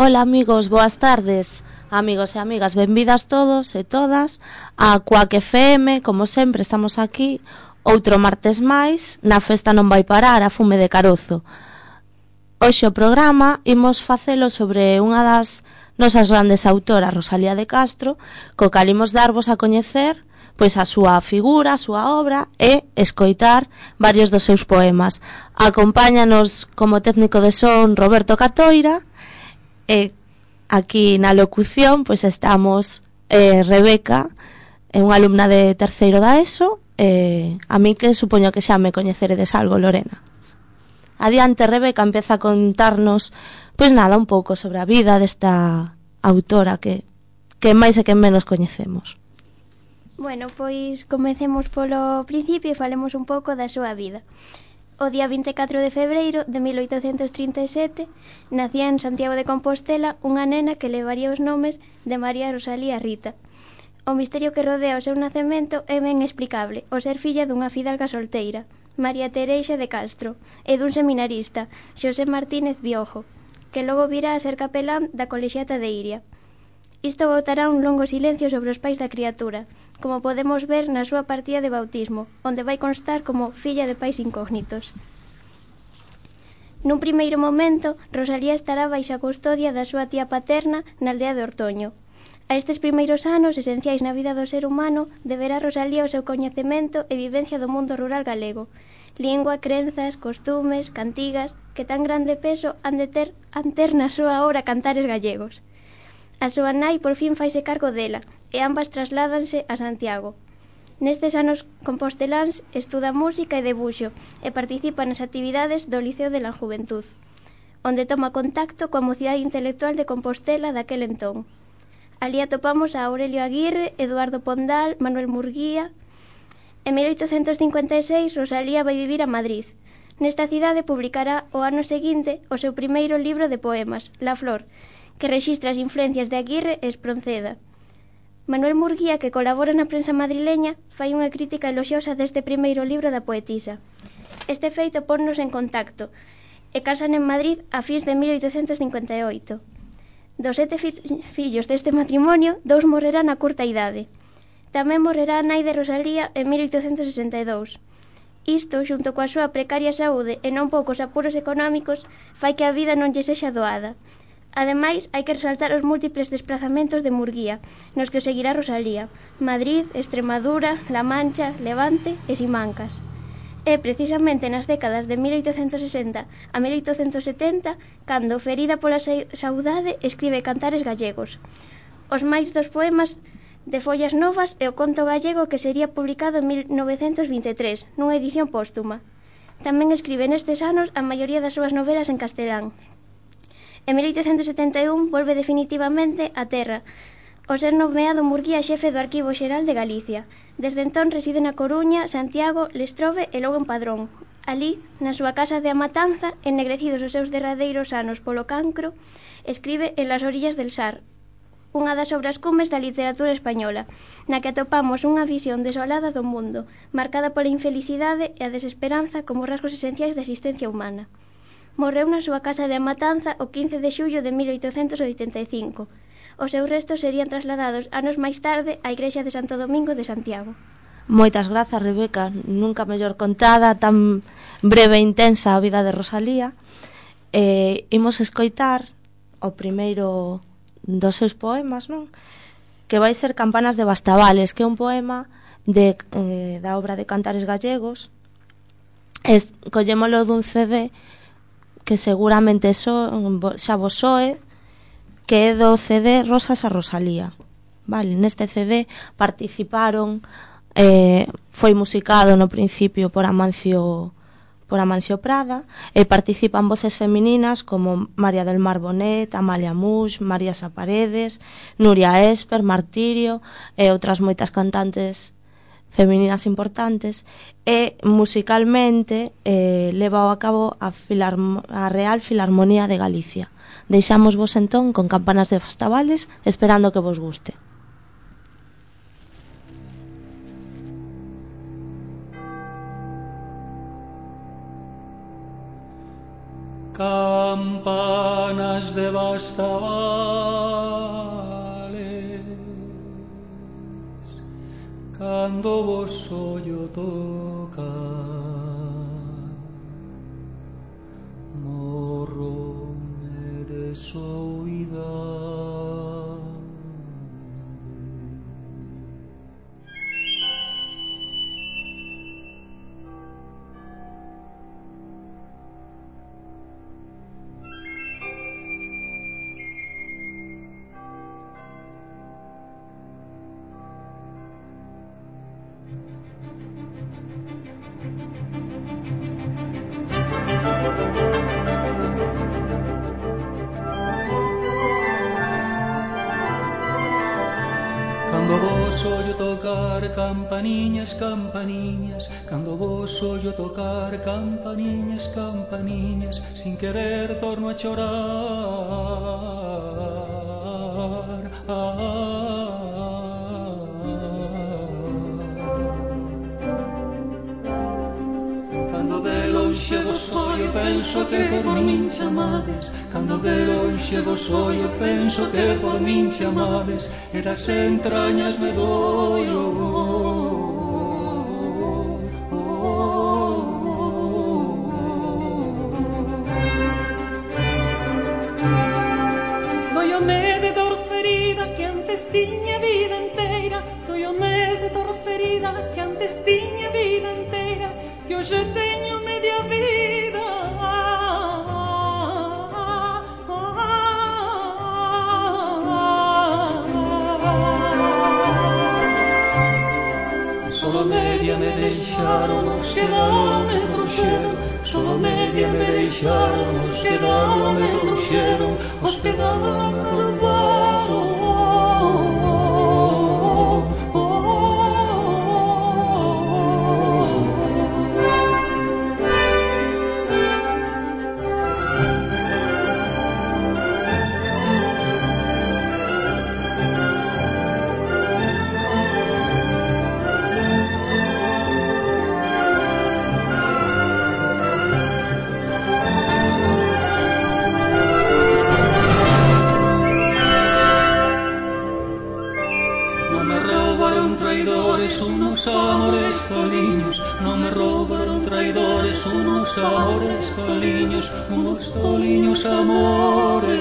Ola amigos, boas tardes. Amigos e amigas, benvidas todos e todas a Cuac FM. Como sempre estamos aquí outro martes máis na Festa non vai parar, a fume de Carozo. Hoxe o programa imos facelo sobre unha das nosas grandes autoras, Rosalía de Castro, co cal imos darvos a coñecer pois a súa figura, a súa obra e escoitar varios dos seus poemas. Acompáñanos como técnico de son Roberto Catoira e aquí na locución pois estamos Rebeca, unha alumna de terceiro da ESO, a mí que supoño que xa me coñeceredes algo, Lorena. Adiante, Rebeca, empeza a contarnos pois nada, un pouco sobre a vida desta autora que máis e que menos coñecemos. Bueno, pois comecemos polo principio e falemos un pouco da súa vida. O día 24 de febreiro de 1837 nacía en Santiago de Compostela unha nena que levaría os nomes de María Rosalía Rita. O misterio que rodea o seu nacemento é ben explicable, o ser filla dunha fidalga solteira, María Teresa de Castro, e dun seminarista, Xosé Martínez Biojo, que logo virá a ser capelán da colexiata de Iria. Isto botará un longo silencio sobre os pais da criatura, como podemos ver na súa partida de bautismo, onde vai constar como filla de pais incógnitos. Nun primeiro momento, Rosalía estará baixo a custodia da súa tía paterna na aldea de Ortoño. A estes primeiros anos esenciais na vida do ser humano deberá Rosalía o seu coñecemento e vivencia do mundo rural galego, lingua, crenzas, costumes, cantigas, que tan grande peso han de ter na súa obra Cantares Gallegos. A súa nai por fin faise cargo dela e ambas trasládanse a Santiago. Nestes anos composteláns estuda música e debuxo e participa nas actividades do Liceo de la Juventud, onde toma contacto coa mocidade intelectual de Compostela daquel entón. Alí atopamos a Aurelio Aguirre, Eduardo Pondal, Manuel Murguía. En 1856 Rosalía vai vivir a Madrid. Nesta cidade publicará o ano seguinte o seu primeiro libro de poemas, La Flor, que rexistra as influencias de Aguirre e Espronceda. Manuel Murguía, que colabora na prensa madrileña, fai unha crítica eloxiosa deste primeiro libro da poetisa. Este feito ponnos en contacto e casan en Madrid a fins de 1858. Dos 7 fillos deste matrimonio, 2 morrerán a curta idade. Tamén morrerá a nai de Rosalía en 1862. Isto, xunto coa súa precaria saúde e non poucos apuros económicos, fai que a vida non lle sexa doada. Ademais, hai que resaltar os múltiples desplazamentos de Murguía, nos que o seguirá Rosalía: Madrid, Extremadura, La Mancha, Levante e Simancas. É precisamente nas décadas de 1860 a 1870 cando, ferida pola saudade, escribe Cantares Gallegos, os máis dos poemas de follas novas e o conto gallego que sería publicado en 1923, nunha edición póstuma. Tamén escribe nestes anos a maioría das súas novelas en castelán. En 1871 volve definitivamente á terra, ao ser nomeado Murguía xefe do Arquivo Xeral de Galicia. Desde entón reside na Coruña, Santiago, Lestrove e logo en Padrón. Alí, na súa casa de Amatanza, ennegrecidos os seus derradeiros anos polo cancro, escribe En las orillas del Sar, unha das obras cumes da literatura española, na que atopamos unha visión desolada do mundo, marcada pola infelicidade e a desesperanza como rasgos esenciais da existencia humana. Morreu na súa casa de Amatanza o 15 de xullo de 1885. Os seus restos serían trasladados anos máis tarde á igrexa de Santo Domingo de Santiago. Moitas grazas, Rebeca. Nunca mellor contada, tan breve e intensa a vida de Rosalía. Imos escoitar o primeiro dos seus poemas, non? Que vai ser Campanas de Bastavales, que é un poema da obra de Cantares Gallegos. Collémolo dun CD que seguramente xa vos soe, que é do CD Rosas a Rosalía. Vale, neste CD participaron, foi musicado no principio por Amancio Prada, e participan voces femininas como María del Mar Bonet, Amalia Muix, María Saparedes, Nuria Esper, Martirio e outras moitas cantantes femininas importantes, e musicalmente leva a cabo a Real Filarmonía de Galicia. Deixamos vos entón con Campanas de Bastavales, esperando que vos guste. Campanas Campanas de Bastavales, cando vos ollo toca, morrome de soidade. Cando vos ollo tocar campaniñas, campaniñas, cando vos ollo tocar campaniñas, campaniñas, sin querer torno a chorar. Cando de lonxe vos ollo penso que por min chamades, cando de lonxe vos ollo penso que por min chamades, e das entrañas me doio. Doiome de dor ferida que antes tiña vida inteira, doiome de dor ferida que antes tiña vida inteira, e hoxe teño media vida. Solo media me deixaron, os quedaron me trouxeron, solo media me deixaron, os quedaron me trouxeron, os quedaron me roubaron. Unos amores toliños, non me roubaron traidores, unos amores toliños, unos toliños amores.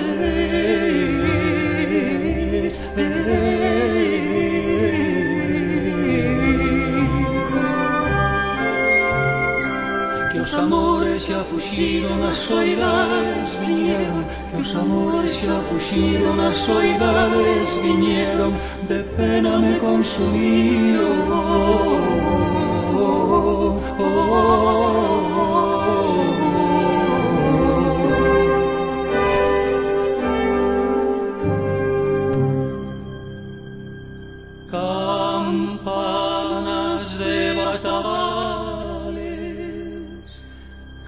Que os amores xa fuxiron, as soidades viñeron, que os amores xa fuxiron, as soidades viñeron, de pena me consumiron. Campanas de Bastavales,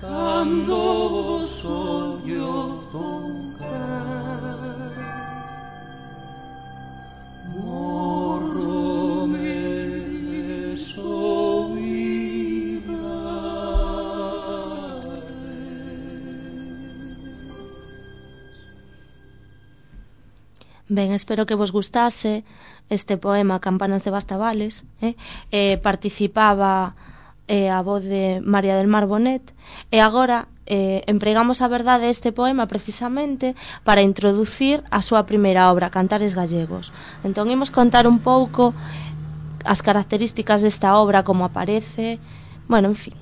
cando vos ollo tocar, morrome de soidade. Ben, espero que vos gustase este poema Campanas de Bastavales. Participaba a voz de María del Mar Bonet, e agora empregamos a verdade este poema precisamente para introducir a súa primeira obra, Cantares Gallegos. Entón imos contar un pouco as características desta obra, como aparece, bueno, en fin,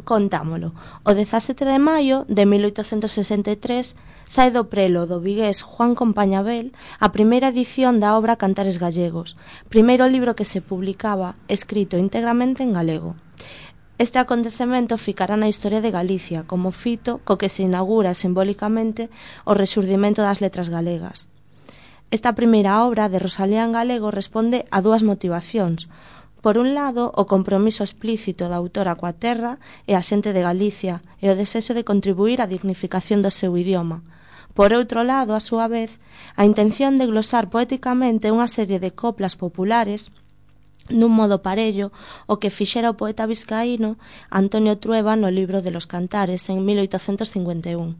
contámolo. O 17 de maio de 1863 sae do prelo do vigués Juan Compañabel a primeira edición da obra Cantares Gallegos, primeiro libro que se publicaba escrito íntegramente en galego. Este acontecemento ficará na historia de Galicia como fito co que se inaugura simbólicamente o rexurdimento das letras galegas. Esta primeira obra de Rosalía en galego responde a dúas motivacións. Por un lado, o compromiso explícito da autora coa terra e a xente de Galicia e o desexo de contribuir á dignificación do seu idioma. Por outro lado, a súa vez, a intención de glosar poéticamente unha serie de coplas populares nun modo parello o que fixera o poeta vizcaíno Antonio Trueba no libro de los Cantares en 1851.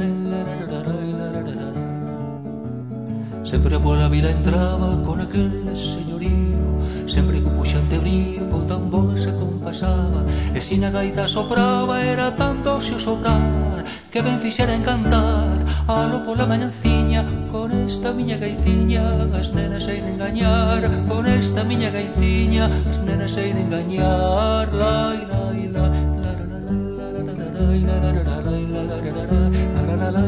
Sempre pola vila entraba con aquel señorío, sempre co puxante brío, co tambor se compasaba, e si na gaita sopraba era tanto se o sobrar, que ben fixera encantar, alo pola mañanciña, con esta miña gaitiña, as nenas hei de engañar, con esta miña gaitiña, as nenas hei de engañar, lai, lai, lai, la, la, la, la, la, la, la, la, la,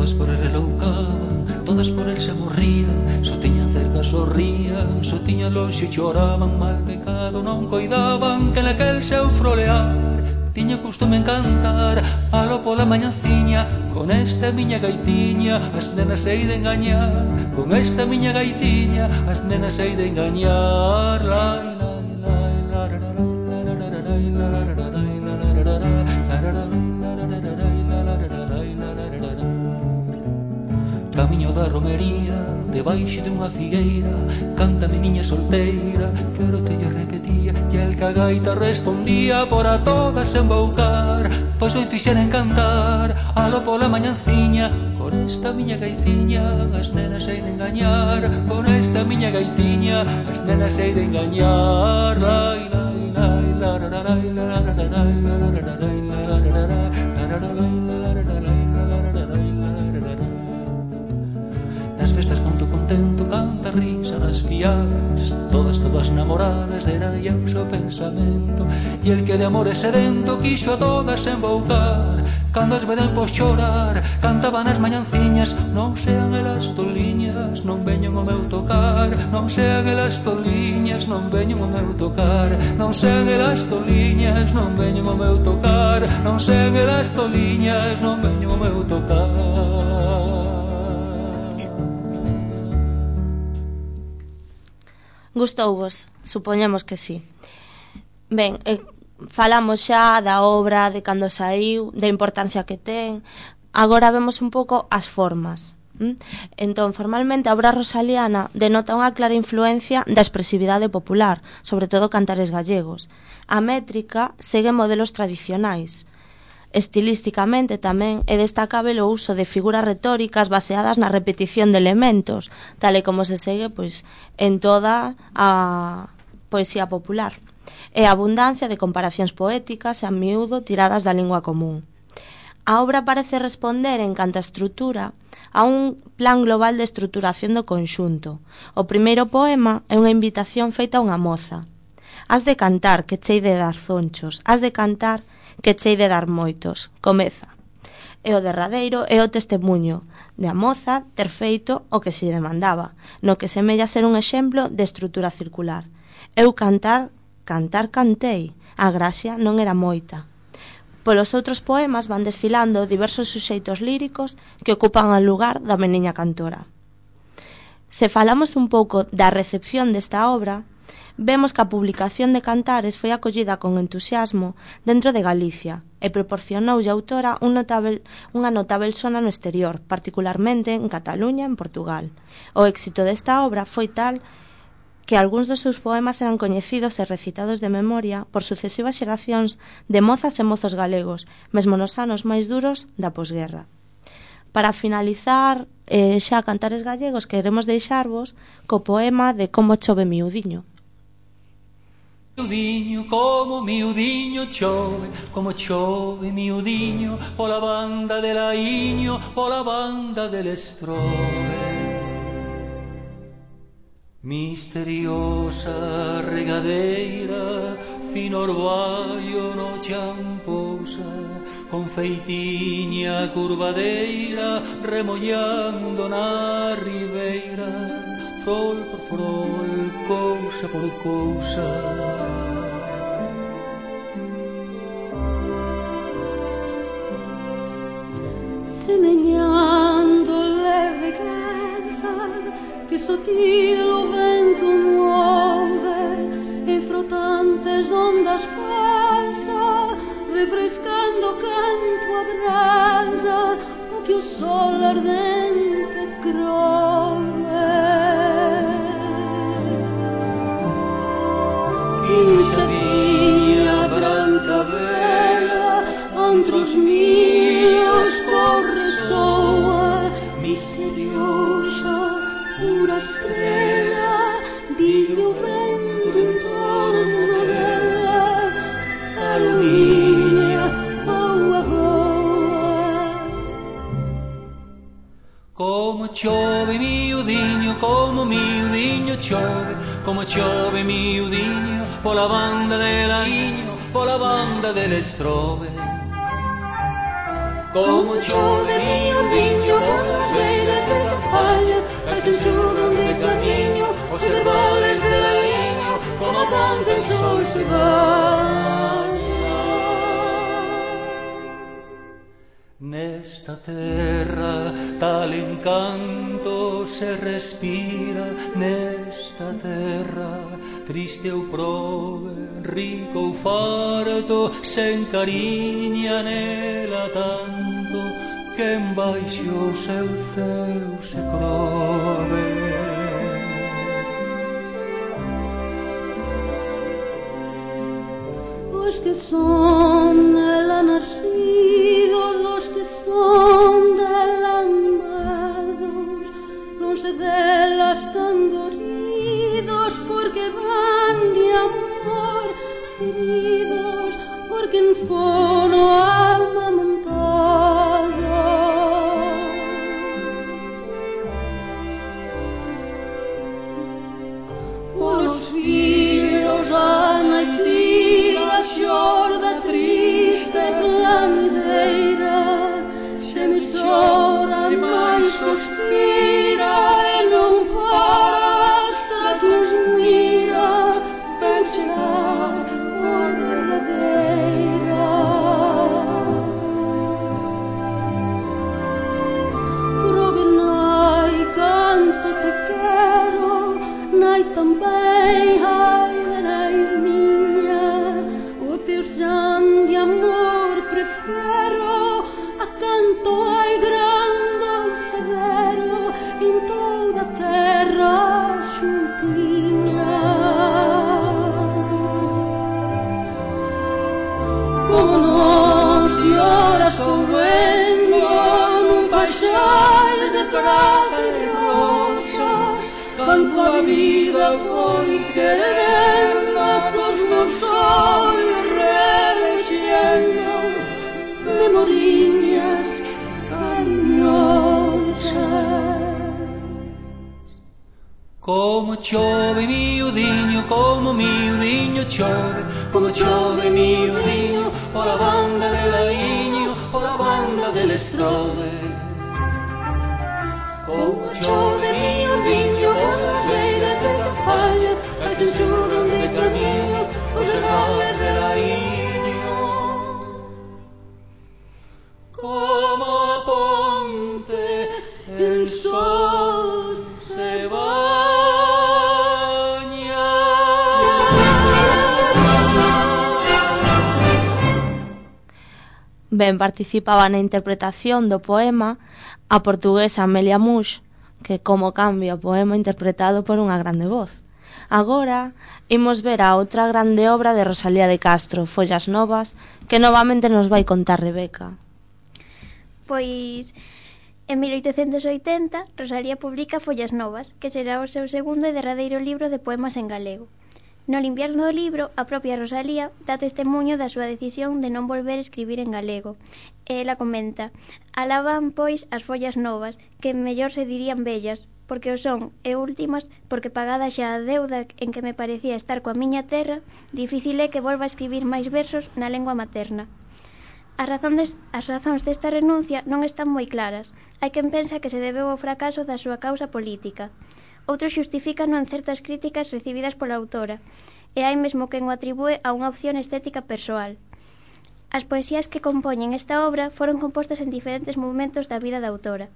todas por el eloucaban, todas por el se morrían, só tiñan cerca sorrían, só tiñan lonxe choraban, mal pecado non coidaban, que naquel seu frolear tiña costume encantar, alo pola mañanciña, con esta miña gaitiña, as nenas hei de engañar, con esta miña gaitiña, as nenas hei de engañar, lai, lai, lai, la, la, la, la, camiño da romería, debaixo dunha figueira, canta meniña solteira, que oro te lle repetía, e el cagaita respondía por a todas embaucar, pois ben fixera encantar, alo pola mañanciña, con esta miña gaitiña, as nenas hei de engañar, con esta miña gaitiña, as nenas hei de engañar, lai, lai, lai, la, la, la, la, la, la, la, la, la, la, la, la, festas canto contento, canta risa das fiadas, todas, todas namoradas, era eu seu pensamento, e el que de amores sedento quixo a todas embaucar, cando as veden por chorar, cantaban as mañanciñas, non sean elas toliñas, non veñen o meu tocar, non sean elas toliñas, non veñen o meu tocar, non sean elas toliñas, non veñen o meu tocar, non sean elas toliñas, non veñen o meu tocar. Gustouvos? Supoñemos que sí. Ben, falamos xa da obra, de cando saiu, da importancia que ten. Agora vemos un pouco as formas. Entón, formalmente, a obra rosaliana denota unha clara influencia da expresividade popular, sobre todo cantares gallegos. A métrica segue modelos tradicionais. Estilísticamente tamén é destacável o uso de figuras retóricas baseadas na repetición de elementos, tal e como se segue pois en toda a poesía popular, e a abundancia de comparacións poéticas e a miúdo tiradas da lingua común. A obra parece responder en canto a estrutura a un plan global de estruturación do conxunto. O primeiro poema é unha invitación feita a unha moza. Has de cantar que chei de dar zonchos, has de cantar que chei de dar moitos, comeza. E o derradeiro é o testemunho de a moza ter feito o que se demandaba, no que semella ser un exemplo de estrutura circular. Eu cantei, a gracia non era moita. Polos outros poemas van desfilando diversos suxeitos líricos que ocupan o lugar da meniña cantora. Se falamos un pouco da recepción desta obra, vemos que a publicación de Cantares foi acollida con entusiasmo dentro de Galicia e proporcionoulle a autora unha notável sona no exterior, particularmente en Cataluña e en Portugal. O éxito desta obra foi tal que algúns dos seus poemas eran coñecidos e recitados de memoria por sucesivas xeracións de mozas e mozos galegos, mesmo nos anos máis duros da posguerra. Para finalizar xa Cantares gallegos, queremos deixarvos co poema de Como chove miudiño. Miudiño, como miudiño chove, como chove miudiño, pola banda del aiño, pola banda del estrove. Misteriosa regadeira, fino orballo no chan pousa, con feitiña curvadeira, remollando na ribeira, frol por frol, cousa por cousa. Semeñando leve casa que sotil o vento muove e frotantes ondas pasa, refrescando canto a brasa o que o sol ardente crove. Quinchadinha branca vela, antros míos corres misteriosa, pura estrela, dillo vento en torno dela, Carolina, voa, voa. Como chove miudiño chove, como chove miudiño, pola banda de Laiño, pola banda del Estrove. Como chove miudiño polas beiras de campaña, as enxugan de camiño, os herbales de Laiño, como a ponte el sol se baña. Nesta terra tal encanto se respira, nesta terra triste ou prove, rico ou farto, se encariña nela tanto que embaixo o seu ceo se crove. Os que son nela nascidos, os que son dela amados, non se dela están doridos, porque van de amor feridos, porque en fono amamantada. Polos fillos Ana e Tila xorda triste plamideira, se me chora e máis suspira e non pastra que os mira, ben chegar por derradeira. Prove nai canto te quero, nai também ai de nai miña, o teu san de amor prefero a canto ai grande ou severo en toda a terra xuntiña. Como non se ora estou vendo nun paixais de prata e rosas, canto a vida foi querendo cos meus ollos relexendo memoriñas cariñosas. Como chove miudiño chove, como chove miudiño, pola banda de Laiño, pola banda del Estrove. Como chove miudiño polas beiras de campaña, as enxugan de camiño, os herbales de Laiño. Como a ponte el sol se baña. Ben participaba na interpretación do poema a portuguesa Amelia Mush, que como cambia o poema interpretado por unha grande voz. Agora imos ver a outra grande obra de Rosalía de Castro, Follas Novas, que novamente nos vai contar Rebeca. Pois en 1880 Rosalía publica Follas Novas, que será o seu segundo e derradeiro libro de poemas en galego. No invierno do libro, a propia Rosalía dá testemunho da súa decisión de non volver a escribir en galego. E ela comenta: alaban, pois, as follas novas, que mellor se dirían bellas, porque o son, e últimas, porque pagada xa a deuda en que me parecía estar coa miña terra, difícil é que volva a escribir máis versos na lengua materna. As razóns desta renuncia non están moi claras. Hai quen pensa que se debeu ao fracaso da súa causa política. Outros xustifícano en certas críticas recibidas pola autora, e hai mesmo quen o atribúe a unha opción estética persoal. As poesías que compoñen esta obra foron compostas en diferentes momentos da vida da autora,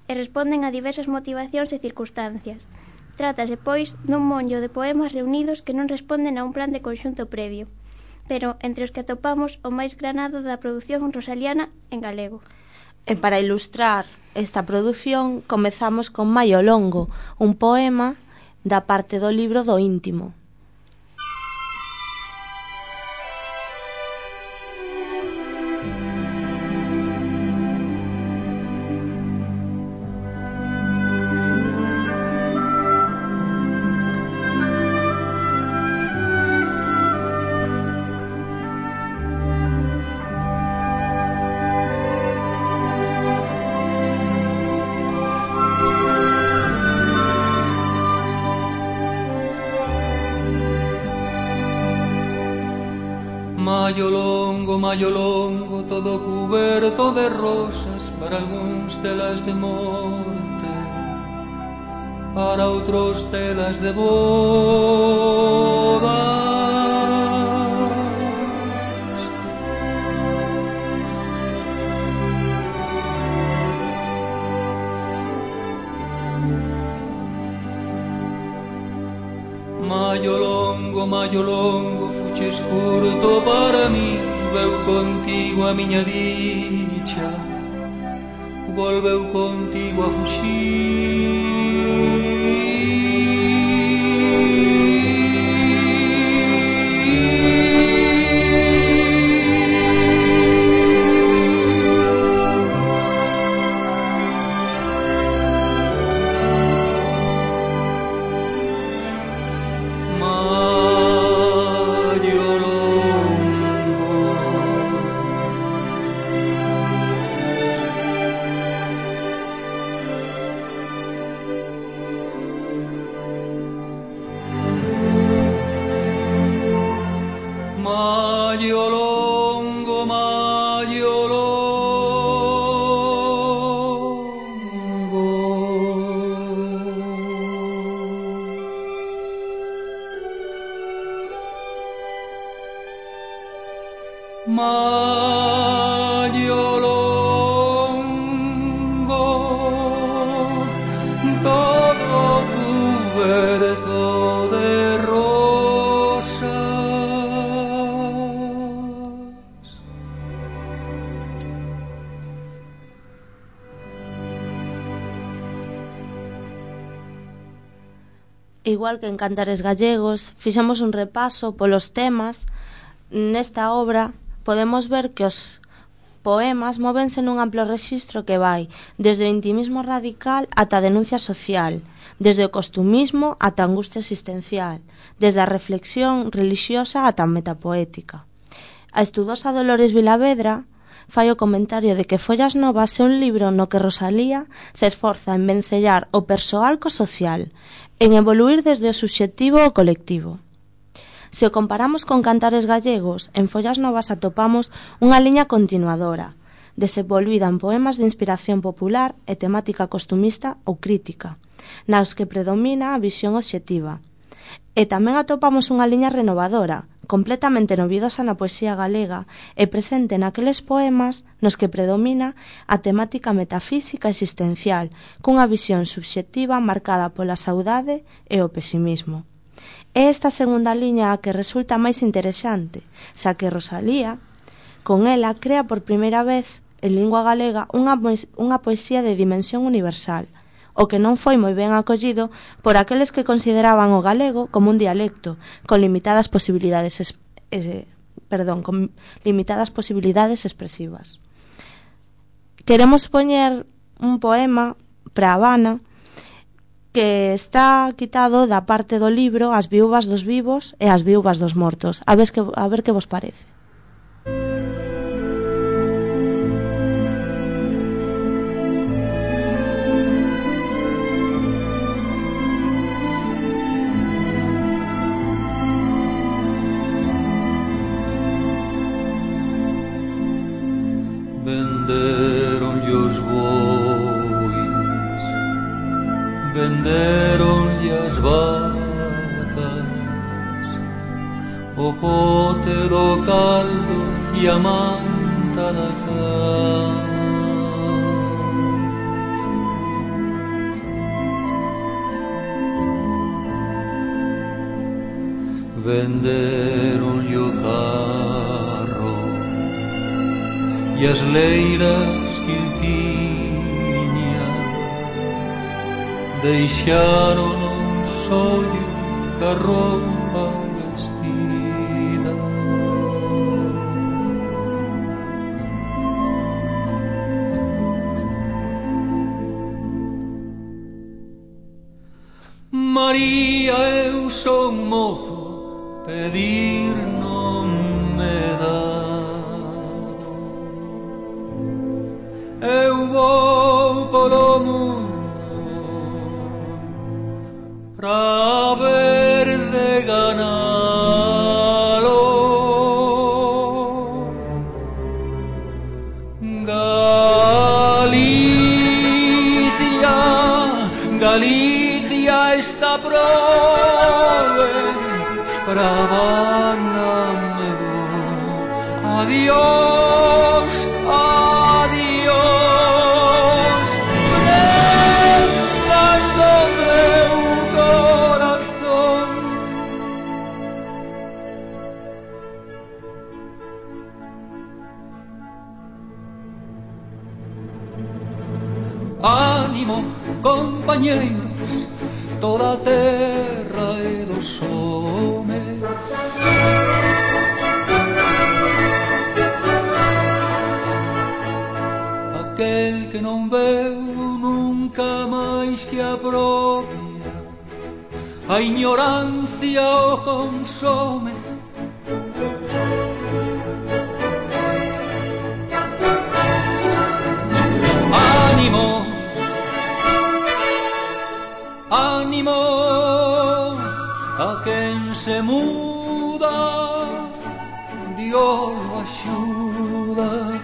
e responden a diversas motivacións e circunstancias. Trátase, pois, dun monllo de poemas reunidos que non responden a un plan de conxunto previo, pero entre os que atopamos o máis granado da produción rosaliana en galego. E para ilustrar esta produción comezamos con Maio Longo, un poema da parte do libro do Íntimo. maio longo, todo cuberto de rosas, para algúns telas de monte, para outros telas de boda. Maio longo, fuches curto para mí, veu contigo a miña dicha, volveu contigo a fuxir. Maio longo, todo cubierto de rosas. Igual que en Cantares Gallegos, fixemos un repaso polos temas. Nesta obra podemos ver que os poemas móvense nun amplo rexistro que vai desde o intimismo radical ata a denuncia social, desde o costumismo ata a angustia existencial, desde a reflexión religiosa ata a metapoética. A estudosa Dolores Vilavedra fai o comentario de que Follas Novas é un libro no que Rosalía se esforza en vencellar o persoal co social, en evoluir desde o subxectivo ao colectivo. Se o comparamos con Cantares Gallegos, en Follas Novas atopamos unha liña continuadora, desenvolvida en poemas de inspiración popular e temática costumista ou crítica, nas que predomina a visión obxectiva. E tamén atopamos unha liña renovadora, completamente novidosa na poesía galega e presente naqueles poemas nos que predomina a temática metafísica existencial, cunha visión subxectiva marcada pola saudade e o pesimismo. É esta segunda liña a que resulta máis interesante, xa que Rosalía, con ela, crea por primeira vez en lingua galega unha poesía de dimensión universal, o que non foi moi ben acollido por aqueles que consideraban o galego como un dialecto, con limitadas posibilidades expresivas. Queremos poñer un poema para Habana que está quitado da parte do libro As viúvas dos vivos e as viúvas dos mortos. A ver que vos parece. Venderonlle os bois, venderonlle as vacas, o pote do caldo e a manta da cama. Venderonlle o carro e as leiras que el tiña, deixaron un sollo ca roupa vestida. María, eu son mozo, pedir non me dá. Eu vou polo mundo pra ver de ganalo. Galicia está prove, Bravana me vou. Adiós, adiós, prendas do meu corazón. Ánimo, compañeiros, toda a terra é dos homes. Aquel que non veu nunca máis que a propia, a ignorancia o consome. Ánimo, ánimo, a quen se muda, Dios lo axuda.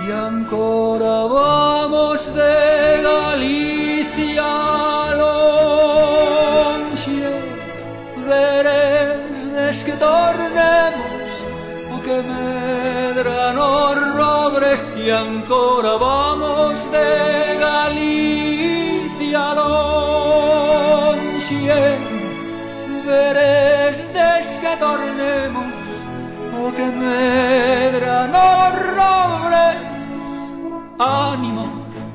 E ancora vamos de Galicia lonxe, veredes que tornemos o que medra nos robres. E ancora vamos de Galicia lonxe, veredes que tornemos o que medra nos robres. Ánimo,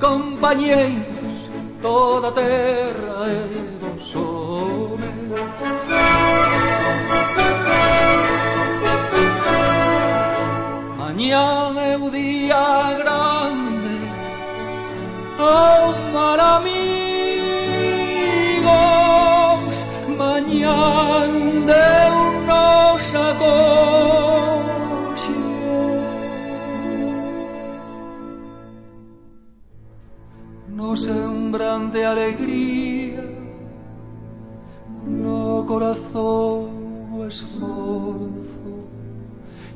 compañeiros, toda a terra é dos homes. Mañá é o día grande, oh mal amigos, mañá Deus nos acoxe. No sembran de alegría, no corazón o esforzo,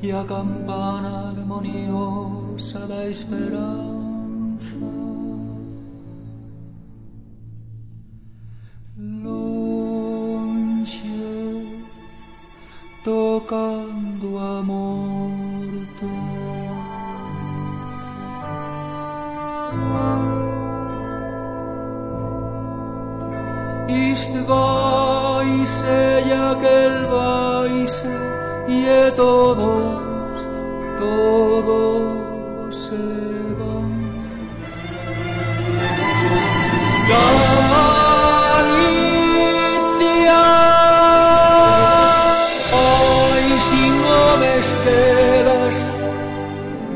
e a campana armoniosa da esperanza. Lonxe, tocando a morto. Este vai-se e aquel vai-se, e é todos se van. Galicia, hoy sin homes quedas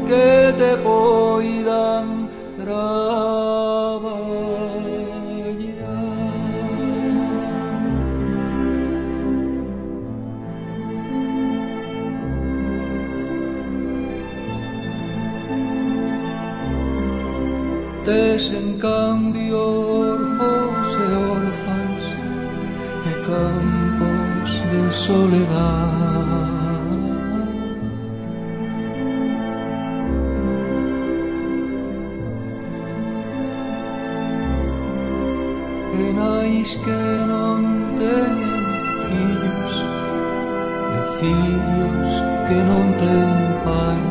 que te poidan traballar. Tes en cambio orfos e orfans e campos de soledad. E nais que non teñen fillos e fillos que non ten pais.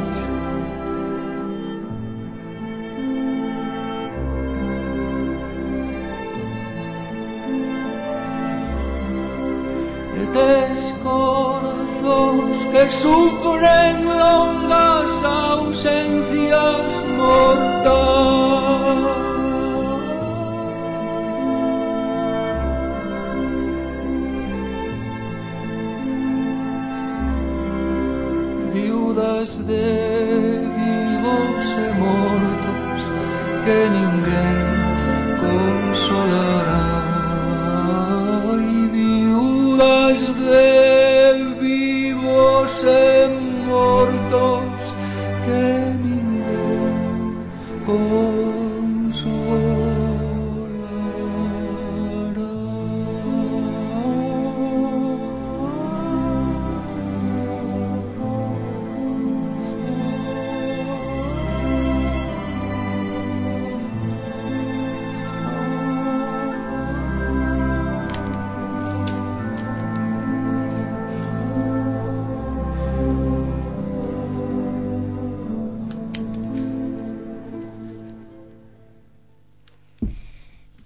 Tes corazóns que sufren longas ausencias mortais. Viudas de vivos e mortos que ninguén consolará. De vivos e mortos que ninguén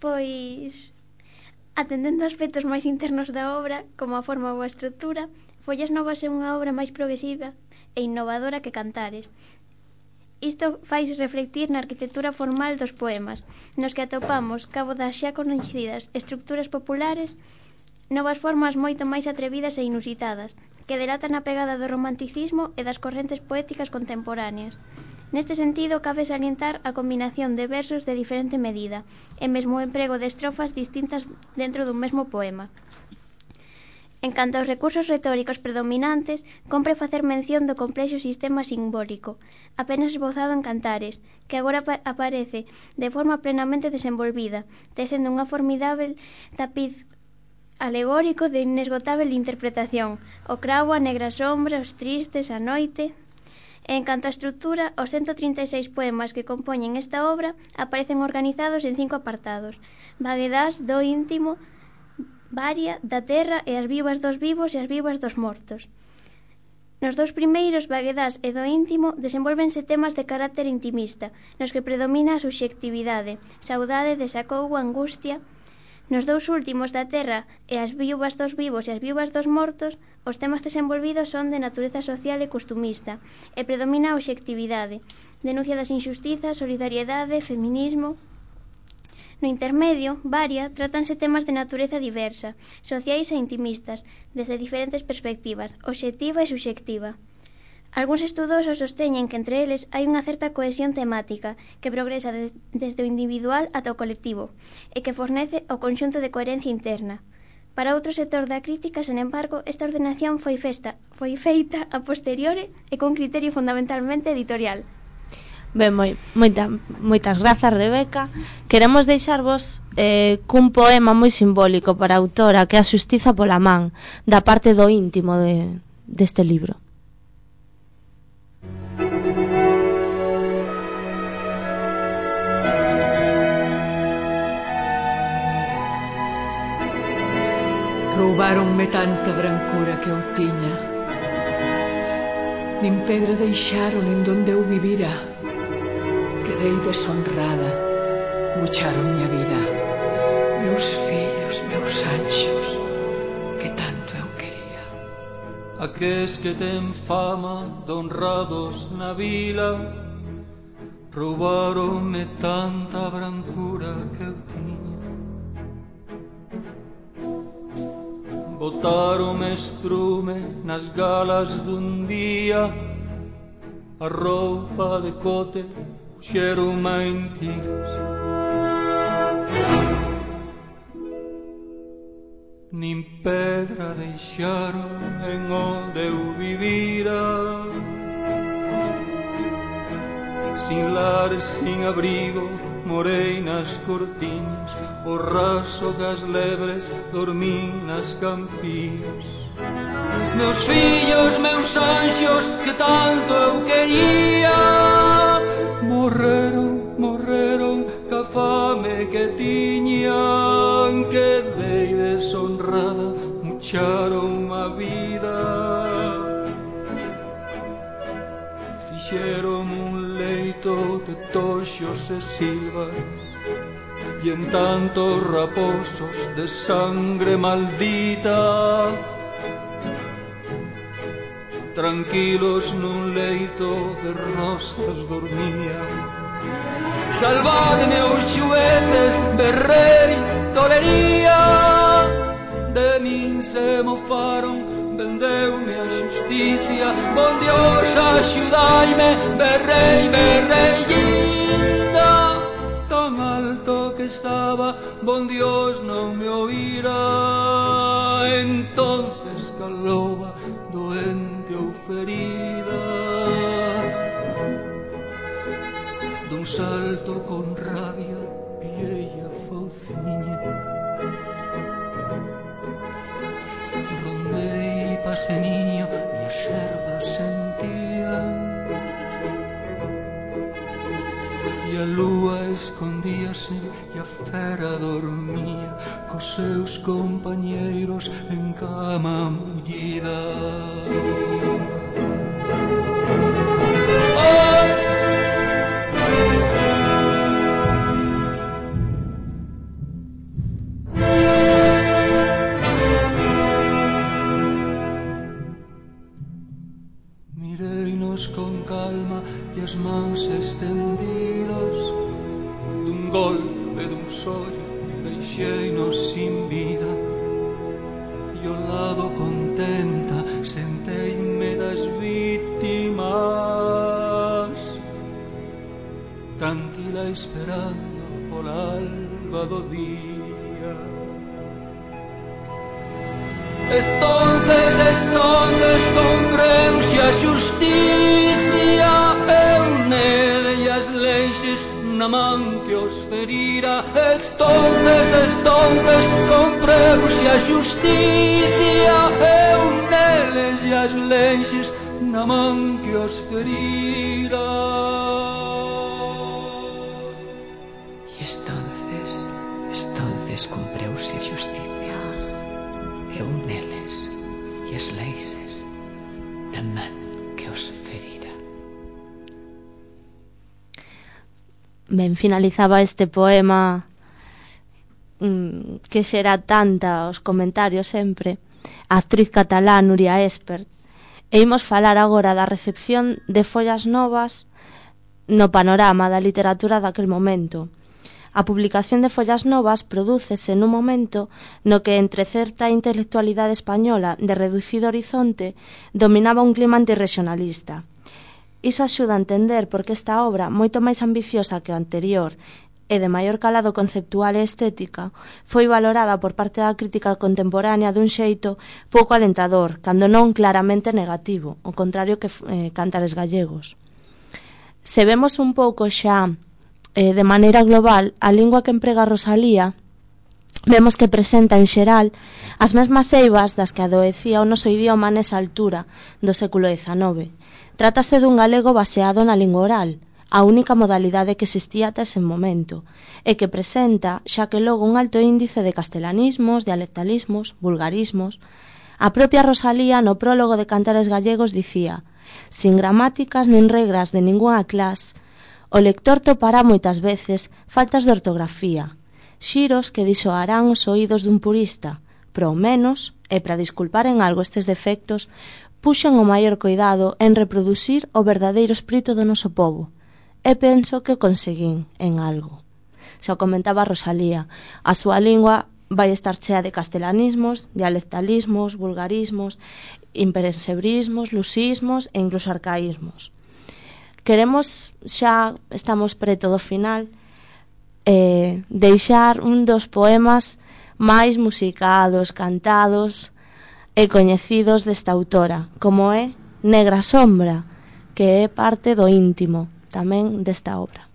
Pois, atendendo a aspectos máis internos da obra, como a forma ou a estrutura, Follas Novas é unha obra máis progresiva e innovadora que Cantares. Isto fai reflectir na arquitectura formal dos poemas, nos que atopamos, cabo das xa coñecidas estructuras populares, novas formas moito máis atrevidas e inusitadas, que delatan a pegada do romanticismo e das correntes poéticas contemporáneas. Neste sentido, cabe salientar a combinación de versos de diferente medida e mesmo o emprego de estrofas distintas dentro dun mesmo poema. En canto aos recursos retóricos predominantes, compre facer mención do complexo sistema simbólico, apenas esbozado en Cantares, que agora aparece de forma plenamente desenvolvida, tecendo unha formidável tapiz alegórico de inesgotável interpretación, o cravo, a negra sombra, os tristes, a noite. En canto á estrutura, os 136 poemas que compoñen esta obra aparecen organizados en 5 apartados: vaguedás, do íntimo, varia, da terra e as vivas dos vivos e as vivas dos mortos. Nos dous primeiros, vaguedás e do íntimo, desenvolvense temas de carácter intimista, nos que predomina a subxectividade, saudade, desacougo, angustia. Nos dous últimos, da terra e as vivas dos vivos e as vivas dos mortos, os temas desenvolvidos son de natureza social e costumista, e predomina a obxectividade, denuncia das injustizas, solidariedade, feminismo. No intermedio, varia, tratanse temas de natureza diversa, sociais e intimistas, desde diferentes perspectivas, obxectiva e subxectiva. Algúns estudosos sosteñen que entre eles hai unha certa cohesión temática que progresa desde o individual ata o colectivo e que fornece o conxunto de coherencia interna. Para outro sector da crítica, sen embargo, esta ordenación foi feita a posteriori e con criterio fundamentalmente editorial. Ben, moitas grazas, Rebeca. Queremos deixarvos cun poema moi simbólico para a autora, que é a Xustiza pola man, da parte do íntimo deste libro. Roubáronme tanta brancura que eu tiña, nin pedra deixaron en donde eu vivira. Quedei deshonrada, bucharon a vida, meus fillos, meus anxos, que tanto eu quería. Aqueles que ten fama de honrados na vila roubaronme tanta brancura que eu tiña. Botaronme estrume nas galas dun día, a roupa de cote puxeron mentiras. Nin pedra deixaron en onde eu vivira, sin lar, sin abrigo, morei nas cortiñas, o raso das lebres dormín nas campías. Meus fillos, meus anxos, que tanto eu quería, morreron ca fame que tiñan. Quedei deshonrada, mucharon a vida, fixeron un leito de toxos e silvas, e en tantos raposos de sangre maldita, tranquilos nun leito de rosas dormían. Salvadme os xueces, berrei, tolería, de min se mofaron, vendeume a xusticia. Bon Dios, axudaime, berrei, linda, tan alto que estaba, bon Dios non me oíra. Entonces calouba, doente ou ferida, dun salto con rabia pillei a fauciña, rondei pase niño e as ervas sentían, e a lúa escondíase e a fera dormía cos seus compañeiros en cama mullida. golpe dun sollo deixeinos sin vida e ao lado contenta senteime das vítimas, tranquila esperando pola alba do día. Estonces compreuse a xusticia, eu nele e as leixes na man que os ferira. Estonces compreuse a xusticia, eu neles e as leixes na man que os ferira. E estonces cumpreuse a xusticia, eu neles e as leixes na man que os ferira. Ben, finalizaba este poema que xera tanta os comentarios sempre a actriz catalá Núria Espert, e imos falar agora da recepción de Follas Novas no panorama da literatura daquel momento. A publicación de Follas Novas prodúcese nun momento no que entre certa intelectualidade española de reducido horizonte dominaba un clima antirregionalista. Iso axuda a entender por que esta obra, moito máis ambiciosa que o anterior e de maior calado conceptual e estética, foi valorada por parte da crítica contemporánea dun xeito pouco alentador, cando non claramente negativo, ao contrario que Cantares Gallegos. Se vemos un pouco xa de maneira global a lingua que emprega Rosalía, vemos que presenta en xeral as mesmas eivas das que adoecía o noso idioma nesa altura do século XIX. Trátase dun galego baseado na lingua oral, a única modalidade que existía ata ese momento, e que presenta, xa que logo, un alto índice de castelanismos, dialectalismos, vulgarismos. A propia Rosalía, no prólogo de Cantares Gallegos, dicía: «Sin gramáticas nin regras de ningunha clase, o lector topará moitas veces faltas de ortografía, xiros que disoarán os oídos dun purista, pero ao menos, e para disculpar en algo estes defectos, puxen o maior cuidado en reproducir o verdadeiro espírito do noso povo, e penso que o conseguín en algo». Xa comentaba Rosalía, a súa lingua vai estar chea de castelanismos, dialectalismos, vulgarismos, impersebrismos, lusismos e incluso arcaísmos. Queremos, xa estamos preto do final, deixar un dos poemas máis musicados, cantados e coñecidos desta autora, como é Negra Sombra, que é parte do íntimo tamén desta obra.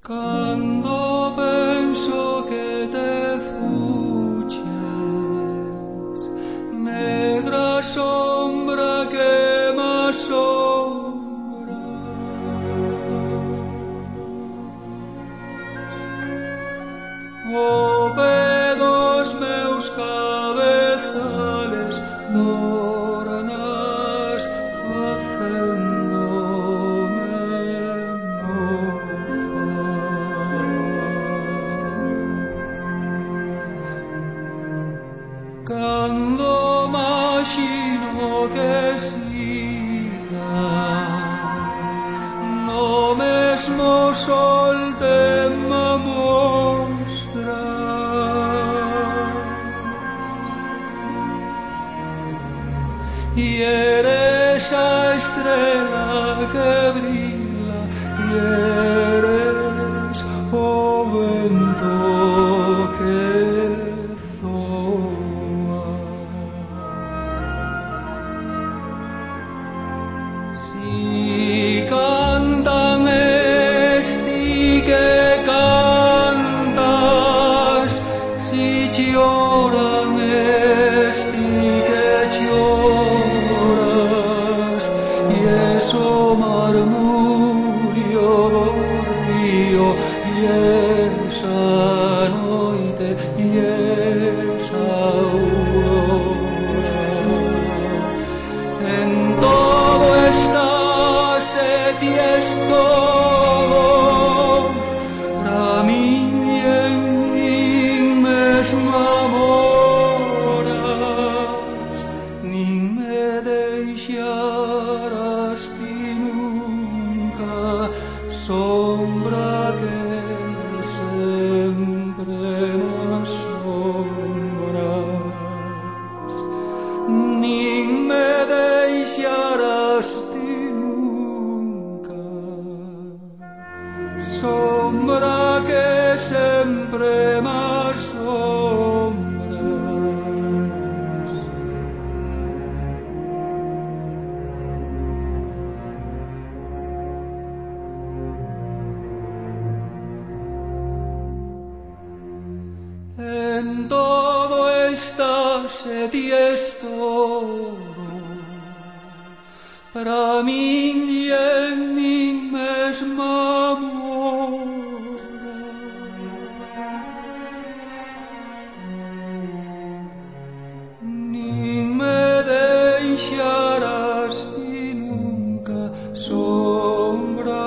Cando penso que te fuches, negra sombra que m'assombra, o pé dos meus cabezales tornas facéndome cando imagino que siga no mesmo sol te me mostras y eres a estrella que brilla y eres o vento que cántame e esa noite e esa aurora. En todo estás e ties todo, pra min e en min mesma moras, nin me deixarás ti nunca, sombra que sempre m'assombras, nin me deixarás ti nunca, sombra que sempre m'assombras. En todo estás e ties todo, para min e en min mesma mora. Nin me deixarás ti nunca, sombra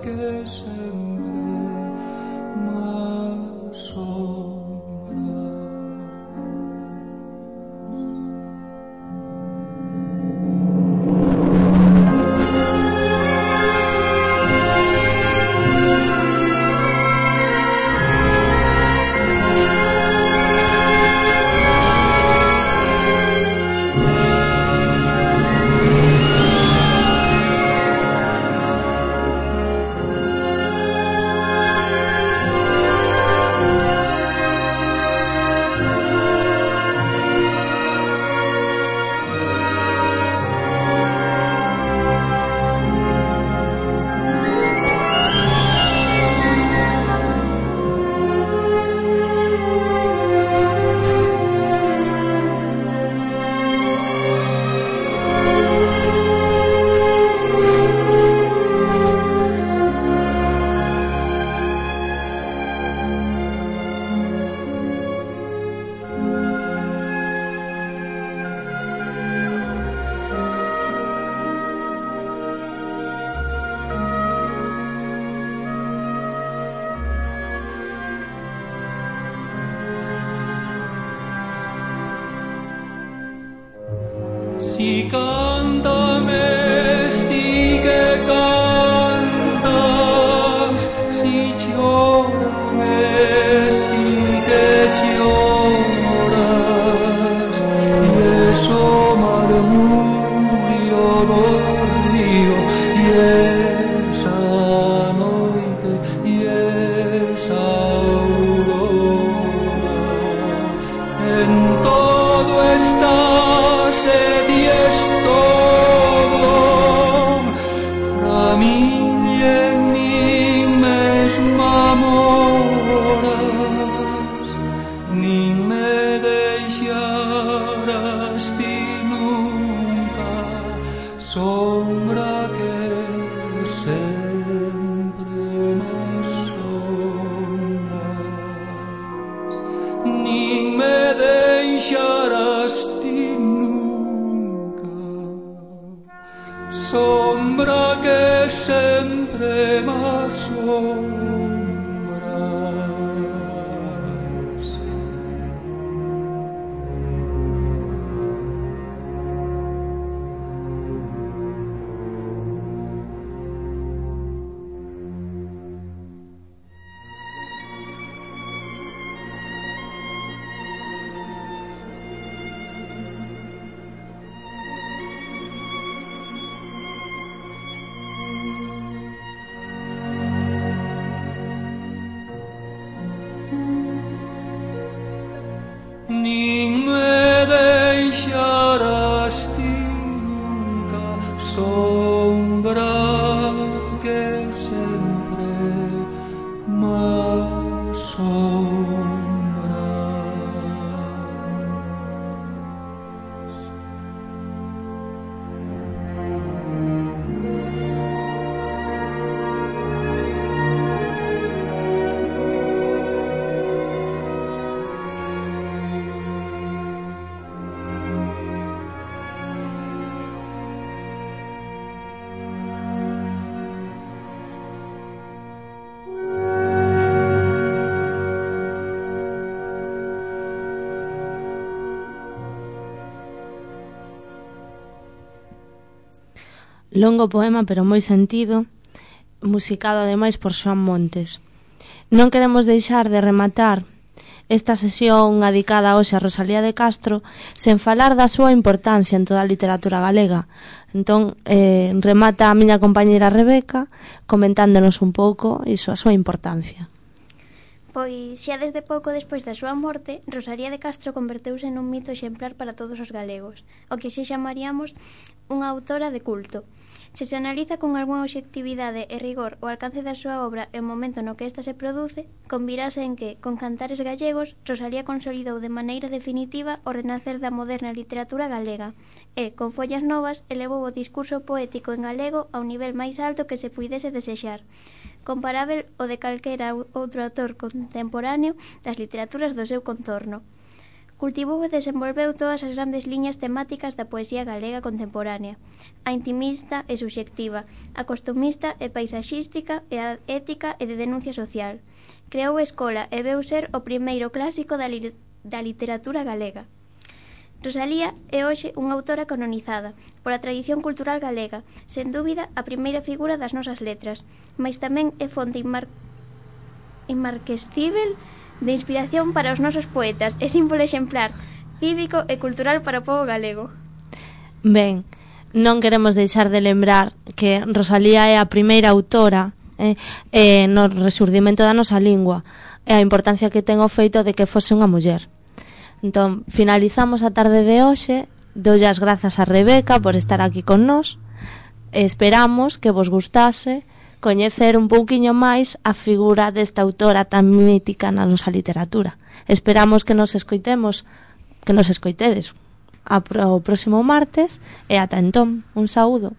que sempre m'assombra. Si cántame, sti que cantas, si llórame, sti que lloras, y eso murmurio do río, y esa noite, y esa aurora. En todo estás e ties todo, pra min e en min mesma moras, nin me deixarás ti nunca, sombra que sempre m'assombras, nin me deixarás ti nunca, sombra que sempre m'assombras. Nin me deixarás ti nunca, sombra que sempre m'assombras. Longo poema, pero moi sentido, musicado ademais por Xoán Montes. Non queremos deixar de rematar esta sesión dedicada hoxe a Rosalía de Castro sen falar da súa importancia en toda a literatura galega. Entón, remata a miña compañeira Rebeca comentándonos un pouco iso, a súa importancia. Pois xa desde pouco despois da súa morte, Rosalía de Castro converteuse nun mito exemplar para todos os galegos, o que xe chamaríamos unha autora de culto. Se se analiza con algunha obxectividade e rigor o alcance da súa obra e o momento no que esta se produce, convirase en que, con Cantares gallegos, Rosalía consolidou de maneira definitiva o renacer da moderna literatura galega e, con Follas novas, elevou o discurso poético en galego ao nivel máis alto que se puidese desexar, comparável ao de calquera outro autor contemporáneo das literaturas do seu contorno. Cultivou e desenvolveu todas as grandes liñas temáticas da poesía galega contemporánea, a intimista e subxectiva, a costumista e paisaxística e a ética e de denuncia social. Creou escola e veu ser o primeiro clásico da literatura galega. Rosalía é hoxe unha autora canonizada pola tradición cultural galega, sen dúbida a primeira figura das nosas letras, mais tamén é fonte inmarquescível de inspiración para os nosos poetas e símbolo exemplar, cívico e cultural para o pobo galego. Ben, non queremos deixar de lembrar que Rosalía é a primeira autora no resurdimento da nosa lingua e a importancia que ten o feito de que fose unha muller. Entón, finalizamos a tarde de hoxe. Doulle as grazas a Rebeca por estar aquí con nós. Esperamos que vos gustase coñecer un pouquiño máis a figura desta autora tan mítica na nosa literatura. Esperamos que nos escoitedes o próximo martes e ata entón, un saúdo.